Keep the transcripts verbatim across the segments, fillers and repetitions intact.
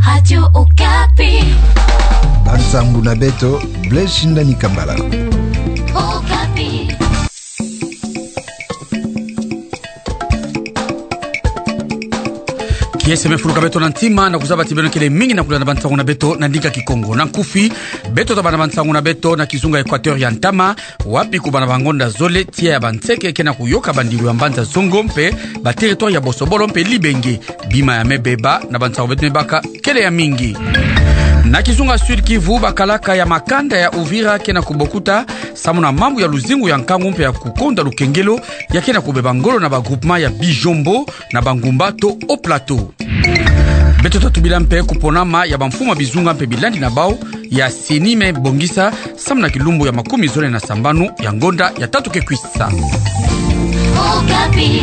Radio Okapi. Bansangu na beto, Blaise Shindani Kambala. Okapi. Kiese me fuluka beto na ntima, na kuzaba ti beno kele mingi na kulanda bansangu na beto na ndinga Kikongo. Na nkufi, beto tabanda bansangu na beto na kizunga Equateur ya ntama, wapi kubanda bangonda zole, tiya ya banseke ke na kuyoka bandilu ya mbanza Zongo mpe ba territoire ya Bosobolo mpe Libenge. Bima ya me beba na bansangu beto me baka kele ya mingi. Na kizunga Sud-Kivu, bakalaka ya makanda ya Uvira ke na kubokuta samu na mambu ya luzingu ya nkangu mpe ya kukonda lukengelo ya ke na kubeba ngolo na ba groupement ya Bijombo na bangumba to Haut-Plateau. Beto tatubila mpe kuponama ya bamfumu ya bizunga mpe bilandi na bau ya CENI me bongisa samu na kilumbu ya makumi zole na sambanu ya ngonda ya tatu ke kwisa. Okapi.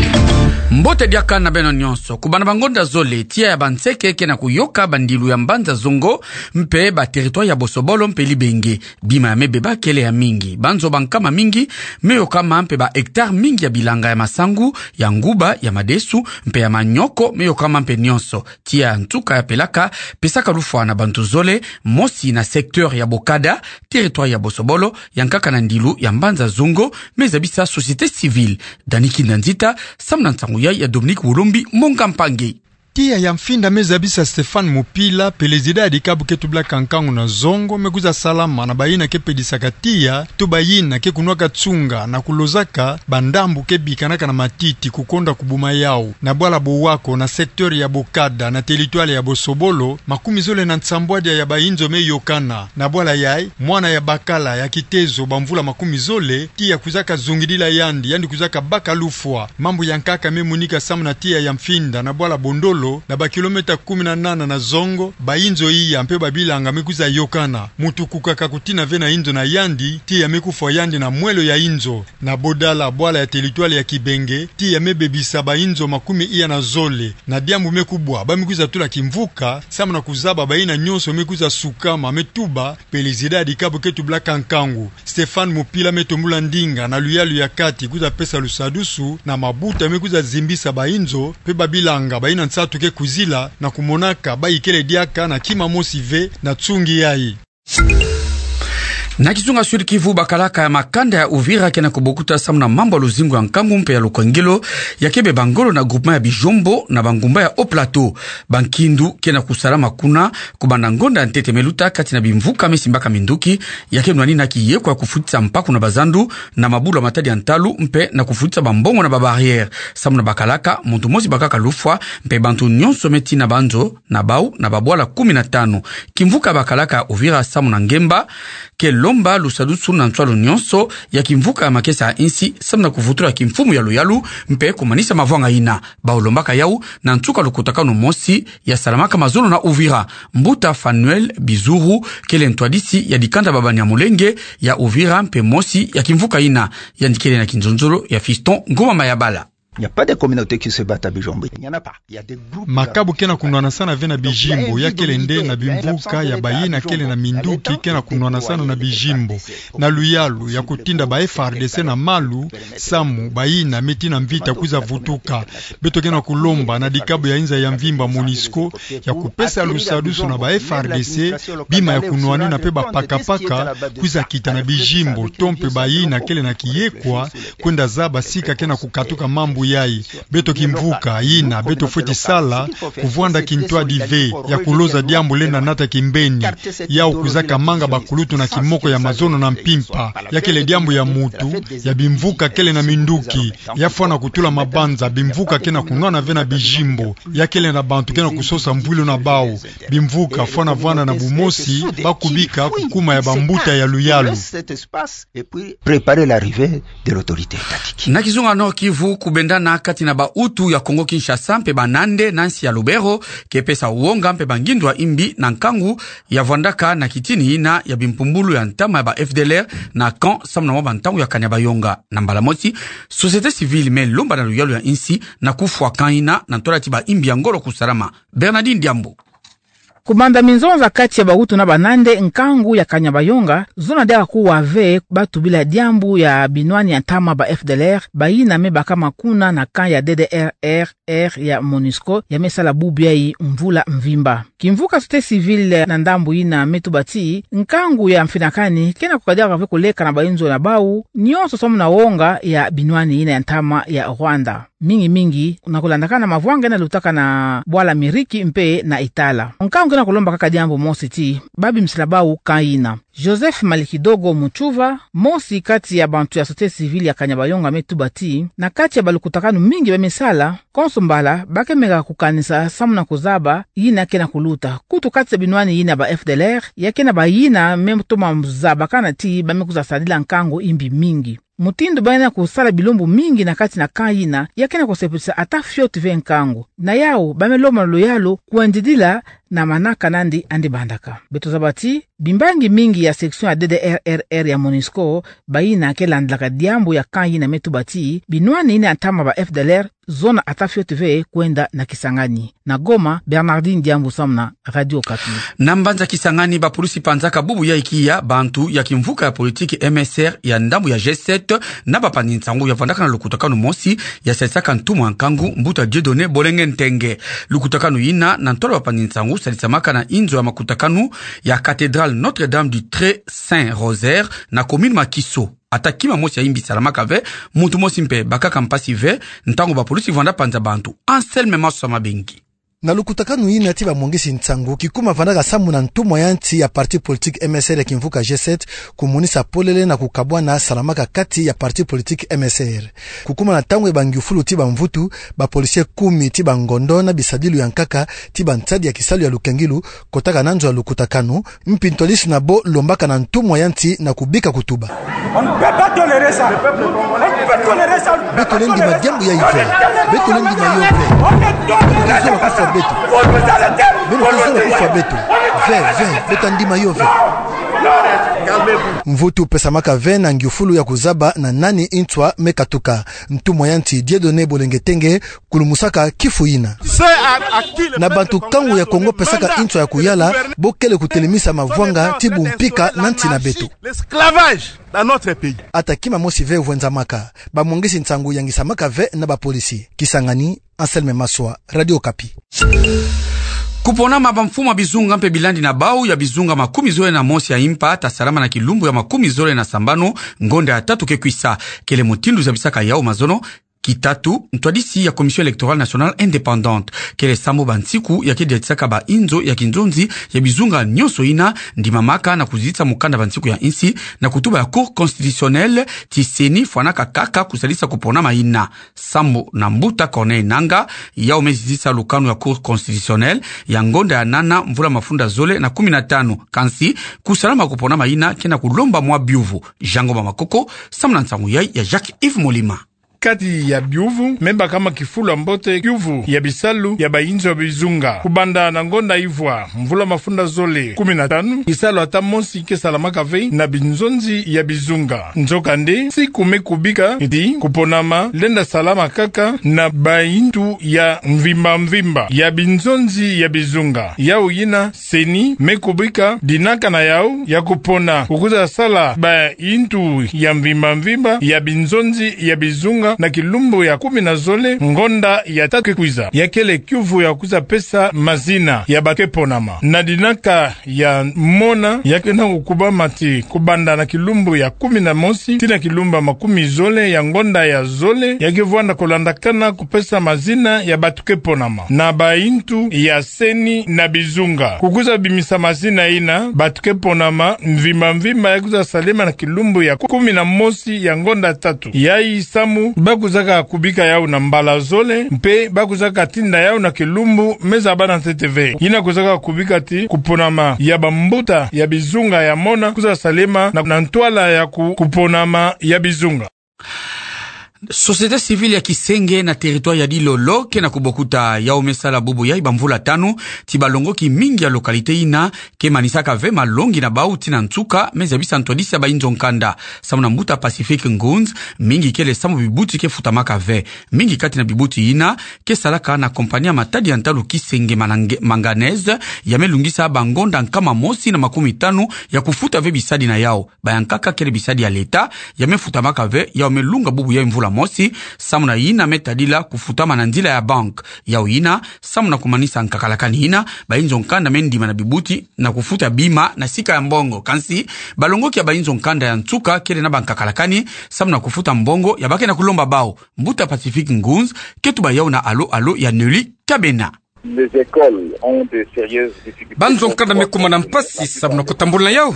Mbote diaka na beno nyonso. Kubanda bangonda zole, tiya ya banseke ke na kuyoka bandilu ya mbanza Zongo mpe ba territoire ya Bosobolo mpe Libenge. Bima ya me beba kele ya mingi. Banzo bankama mingi me yokama mpe ba hectare mingi ya bilanga ya masangu, ya nguba, ya madesu mpe ya manioko me yokama mpe nyonso. Tiya ya nsuka ya pelaka pesaka lufwa na bantu zole, mosi na secteur ya Bokada, territoire ya Bosobolo, ya nkaka na ndilu ya mbanza Zongo, me zabisa société civile. Dani Kinda Nzita samu na nsangu yai ya Dominique Wolombi Monga Mpangi. Tiya ya Mfinda me zabisa Stéphane Mupila, pelezida ya dikabu ke tublaka nkangu na Zongo, me kwiza salama na bayina ke pedisaka tiya, to bayina ke kunwaka tsunga na kulozaka bandambu ke bikanaka na matiti kukonda kubuma yau. Na bwala Bowako, na secteur ya Bokada, na territoire ya Bosobolo, makumi zole na nsambwadia ya bainzo me yokana. Na bwala yai, mwana ya bakala ya kitezo bamvula makumi zole, tiya kwizaka zungidila yandi, yandi kwizaka baka lufwa. Mambu ya nkaka me monika samu na tiya ya Mfinda na bwala Bondolo, na ba kilomètre kumi na nana na Zongo, bainzo iya mpe babilanga me kwiza yokana. Muntu kukaka kutina ve na inzo na yandi, tiya me kufwa yandi na mwelo ya inzo. Na Bodala, bwala ya territoire ya Kibenge, tiya me bebisa bainzo makumi iya na zole. Na diambu me kubwa, ba me kwiza tula kimvuka samu na kuzaba bayina nyonso me kwiza sukama, me tuba pelezida ya dikabu ke tublaka nkangu. Stéphane Mupila me tombula ndinga na luyalu ya kati kwiza pesa lusadusu na mabuta me kwiza zimbisa bainzo mpe babilanga bayina nsatu ke kwizila, na kumonaka bayi kele diaka na kima mosi ve na tsungi yai. Na kizunga Sud-Kivu, bakalaka ya makanda ya Uvira ke na kubokuta samu na mambu ya luzingu ya nkangu mpe ya lukengelo ya ke beba ngolo na groupement ya Bijombo na bangumba ya Haut-Plateau. Bankindu ke na kusalama kuna kubanda ngonda ya ntete me luta kati na bimvuka me simbaka minduki ya ke nwanina kiyekwa ya kufutisa mpaku na bazandu na mabulu ya matadi ya ntalu mpe na kufutisa bambongo na ba barrière. Samu na bakalaka, muntu mosi bakaka lufwa mpe bantu nyonso me tina banzo na bau na babwala kumi na tanu. Kimvuka ya bakalaka ya Uvira samu na ngemba ke lomba lusadusu na nswalu nyonso ya kimvuka ya makesa ya insi samu na kuvutula kimfumu ya luyalu mpe kumanisa mavwanga yina. Bau lombaka yau na nsuka lukutakanu mosi ya salamaka mazono na Uvira. Mbuta Fanuel Bizuru kele ntwadisi ya dikanda ba Banyamulenge ya Uvira mpe mosi ya kimvuka yina. Yandi kele na kinzonzolo ya Fiston Ngoma Mayabala. Il n'y a pas de communauté qui se bat à Bijombo. Il n'y en a pas. Il y a des groupes. Makabu ke na kunwanasana ve na Bijimbo, ya kele nde na bimvuka ya bayina kele na minduki ke na kunwanasana na Bijimbo, na luyalu ya kutinda ba F A R D C na malu, samu bayina me tina mvita kwiza vutuka. Beto ke na kulomba na dikabu ya inza ya mvimba, MONUSCO, ya kupesa lusadusu na ba F A R D C, bima ya kunwanina mpe bapakapaka kwiza kita na Bijimbo, to mpe bayina kele na kiyekwa kwenda zaba sika ke na kukatuka mambu yai. Beto kimvuka yina beto fweti sala, kuvwanda kintwadi ve ya kuloza diambu lenda nata kimbeni, yau kwizaka manga bakulutu na kimoko ya mazono na mpimpa. Ya kele diambu ya mutu, ya bimvuka kele na minduki, ya fwana kutula mabanza bimvuka ke na kunwana ve na Bijimbo, ya kele na bantu ke na kusosa mvwilu na bau. Bimvuka fwana vwanda na bumosi, ba kubika kukuma ya bambuta ya luyalu. Et puis préparer l'arrivée de l'autorité étatique. Na kizunga Nord-Kivu, kubendana kati na ba Hutu ya Congo-Kinshasa mpe ba Nande na nsi ya Lubero ke pesa wonga mpe bangindu ya imbi na nkangu ya vwandaka na kitini yina ya bimpumbulu ya ntama ya ba F D L R na camp samu na mwa bantangu ya kani ya bayonga. Na mbala mosi, société civile me lomba na luyalu ya insi na kufwa camp yina na ntwala ti ba imbi ya ngolo kusalama. Bernardine Diambu. Kubanda minzonza kati ya bawutu na banande, nkangu ya Kanyabayonga, zona diaka kuwa ve batu bila diambu ya binwani ya ntama ba F D L R, bayina me bakama kuna na camp ya D D R R ya MONUSCO, ya me sala bubu yayi mvula mvimba. Kimvuka société civile na ndambu yina me tuba ti, nkangu ya mfinakani, kena kukadi diaka ve koleka na bayinzo na bawu, nyonso samu na wonga ya binwani yina ya ntama ya Rwanda. Mingi mingi, na kulandakana mavwanga yina lutaka na bwala Ameriki mpe na Itala. Nkangu kena kulomba kaka diambu mosi ti, babimisila bawu camp yina. Joseph Malikidogo Mutuva, mosi kati ya bantu ya société civile ya Kanyabayonga me tuba ti, na kati ya balukutakanu mingi ba me sala, konso mbala, ba ke meka kukanisa samu na kuzaba yina kena kuluta. Kutu kati ya binwani yina ba F D L R, ya kena bayina me toma zabakana ti ba me kwiza sadila nkangu yimbi mingi. Mutindu ba yina kusala bilumbu mingi na kati na camp yina, ya kena kusepelisa ata fioti ve nkangu. Na yawu, ba me lomba luyalu kwendidila na manaka nandi andi bandaka. Beto zaba ti, bimbangi mingi ya section ya D D R R ya MONUSCO, bayina ke landilaka diambu ya camp yina me tuba ti, binwani yina ya ntama ba F D L R, zona ata fioti ve kwenda na Kisangani. Na Goma, Bernardine Diambu samu na Radio Okapi. Na mbanza Kisangani, bapulusi panzaka bubu yayi kiya bantu ya kimvuka ya politiki M S R ya ndambu ya G sept, na bapandi nsangu ya vandaka na lukutakanu mosi ya sadisaka ntumwa nkangu, mbuta Dieudonné Bolenge Ntenge. Lukutakanu yina, na ntwala bapandi nsangu, sadisamaka na inzo ya makutakanu ya cathédrale Notre-Dame du Très Saint Rosaire na commune Makiso. Ata kima mosi ya yimbi salamaka ve, muntu mosi mpe bakaka mpasi ve, ntangu bapulusi vanda panza bantu. Anselme Maswa Mabengi. Na lukutakanu yina ti bamwangisi nsangu, kikuma vandaka samu na ntumwa ya nsi ya parti politique M S R ya kimvuka G sept, kumonisa polele na kukabwana salamaka kati ya parti politique M S R. Kukuma na ntangu ya bangyufulu ti bamvutu, bapolisie kumi ti bangondo na bisadilu ya nkaka ti bansadi ya kisalu ya lukengilu, kotaka na nzo ya lukutakanu, mpi ntwadisi na bo lombaka na ntumwa ya nsi na kubika kutuba. On ne peut pas tolérer ça. On ne peut pas tolérer ça. Beto lenda ndima diambu yayi ve. Beto lenda ndima yo ve. Beno ke zola kufwa beto. Beno ke zola kufwa beto. Ve, ve, beto lenda ndima yo ve. Mvutu pesamaka ve na ngyufulu ya kuzaba na nani nswa me katuka. Ntumwa ya nsi Dieudonné Bolenge Ntenge kulumusaka kifu yina. Na bantu nkangu ya Kongo pesaka nswa ya kuyala, bo kele kutelemisa mavwanga ti bumpika na nsi na beto. L'esclavage dans notre pays. Ata kima mosi ve vwenzamaka, bamwangisi nsangu yangisamaka ve na bapolisi. Kisangani, Anselme Maswa, Radio Okapi. Kuponama bamfumu ya bizunga mpe bilandi na bawu ya bizunga makumi zole na mosi ya impa ta salama na kilumbu ya makumi zole na sambanu, ngonda ya tatu ke kwisa. Kele mutindu zabisaka yawu mazono, kitatu, ntwadisi ya Commission Électorale Nationale Indépendante. Kele sambu bansiku ya ke diatisaka bainzo ya kinzonzi ya bizunga nyonso yina ndimamaka na kuzitisa mukanda bansiku ya insi, na kutuba ya Cour constitutionnelle ti CENI fwanaka kaka kusalisa kuponama yina. Sambu na mbuta Corneille Nangaa, yawu me zitisa lukanu ya Cour constitutionnelle, ya ngonda ya nana mvula mafunda zole na kumi na tanu. Kansi, kusalama kuponama yina kena kulomba mwa biuvu. Jean Ngoma Makoko, samu na nsangu yayi ya Jacques Yves Molima. Kati ya biuvu me bakama kifulu ya mbote kiuvu ya bisalu ya bainzo ya bizunga. Kubanda na ngonda ivwa mvula mafunda zole kumi na tanu, kisalu ata mosi ke salamaka ve na binzonzi ya bizunga. Nzokande, nsiku me kubika ti kuponama lenda salama kaka na baintu ya mvimba mvimba ya binzonzi ya bizunga. Yawu yina CENI me kubika dinaka na yawu ya kupona kukwiza sala baintu ya mvimba mvimba ya binzonzi ya bizunga na kilumbu ya kumi na zole ngonda ya tatu ke kwiza. Ya kele kiuvu ya kwiza pesa mazina ya ba ke ponama. Na dinaka ya mona, ya kena kukubama ti kubanda na kilumbu ya kumi na mosi tii na kilumbu ya makumi zole ya ngonda ya zole, ya ke vwanda kulandakana kupesa mazina ya batu ke ponama na baintu ya CENI na bizunga. Kukwiza bimisa mazina yina, batu ke ponama mvimba mvimba ya kwiza salema na kilumbu ya kumi na mosi ya ngonda tatu. Yayi samu, ba kwizaka kubika yawu na mbala zole, mpe ba kwizaka tinda yawu na kilumbu me zaba na ntete ve. Yina kwizaka kubika ti kuponama ya bambuta ya bizunga ya mona kwiza salema na, na ntwala ya ku-, kuponama ya bizunga. Société civile ya kisenge na territoire ya Dilolo ke na kubokuta yau me sala bubu yai bamvula tanu ti balongoki mingi ya localité ina ke manisaka ve malongi na bau ti na nsuka me zabisa ntwadisi ya bainzo nkanda. Samu na mbuta Pacifique Ngunz, mingi kele samu bibuti ke futamaka ve. Mingi kati na bibuti ina ke salaka na compagnie ya matadi ya ntalu kisenge manange-, manganèse, ya me lungisa bangonda nkama mosi na makumi tanu ya kufuta ve bisadi na yau. Bayankaka kele bisadi ya leta, ya me futamaka ve, yau me lunga bubu yai mvula mosi, samu na ina me tadila kufutama na nzila ya banque. Yau ina, samu na kumanisa nkakalakani ina, bainzo nkanda me ndima na bibuti na kufuta bima na sika ya mbongo. Kansi, balongoki ya bainzo nkanda ya nsuka kele na bankakalakani, samu na kufuta mbongo ya ba ke na kulomba bau. Mbuta Pacifique Ngunz ke tuba yau na alo-alo ya Nelly Kabena. Les écoles ont de sérieuses difficultés. Banzo nkanda me kuma na mpasi samu na kutambula na yau.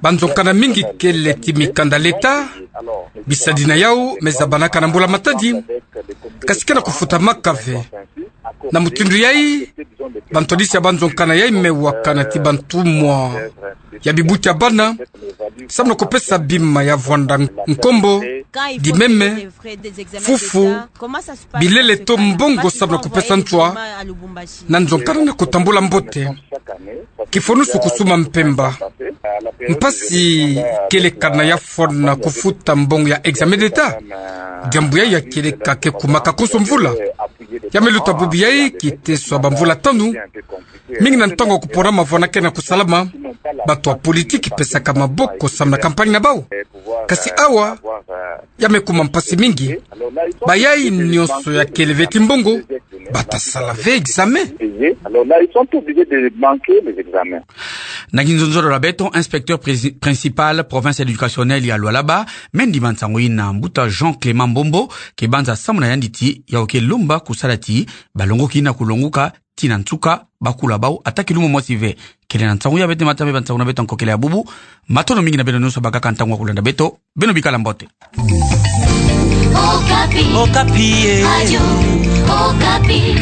Banzo nkanda mingi kele ti mikanda leta, bisadi na yau me zabanaka na mbula matadi, kasi ke na kufutamaka ve. Na mutindu yai, bantwadisi ya banzo nkanda yai me wakana ti bantumwa ya bibuti ya bana, samu na kupesa bima ya vwanda nkombo, dimeme, fufu, bilele to mbongo samu na kupesa ntwa na nzo nkanda na kutambula mbote. Kifonusu kusuma mpemba. Mpasi kele kana ya fwana kufuta mbongo ya examen d'État. Diambu yai ya kieleka ke kumaka konso mvula. Ya me luta bubu yai kiteso ya bamvula tanu. Mingi na ntangu kupona mavwanda ke na kusalama, bato ya politiki pesaka maboko samu na campagne na bau. Kasi awa, ya me kuma mpasi mingi. Bayai nyonso ya kele ve ti mbongo, bata sala ve examen. Alors là, ils sont obligés de manquer les examens. Na kinzonzolo ya beto, inspecteur prési-, principal province éducationnelle ya Lualaba, me ndima nsangu ina, mbuta Jean Clément Mbombo, ke banza samu na yandi ti, yau ke lomba kusala ti balongoki ina kulonguka ti na nsuka, bakula bau ata kilumbu mosi ve. Kele na nsangu ya beto, mata me ba nsangu na beto nkokele ya bubu. Matondo mingi na beno nyonso bakaka ntangu ya kulanda beto. Beno bikala mbote. Okapi. Okapi, eh. Radio Okapi.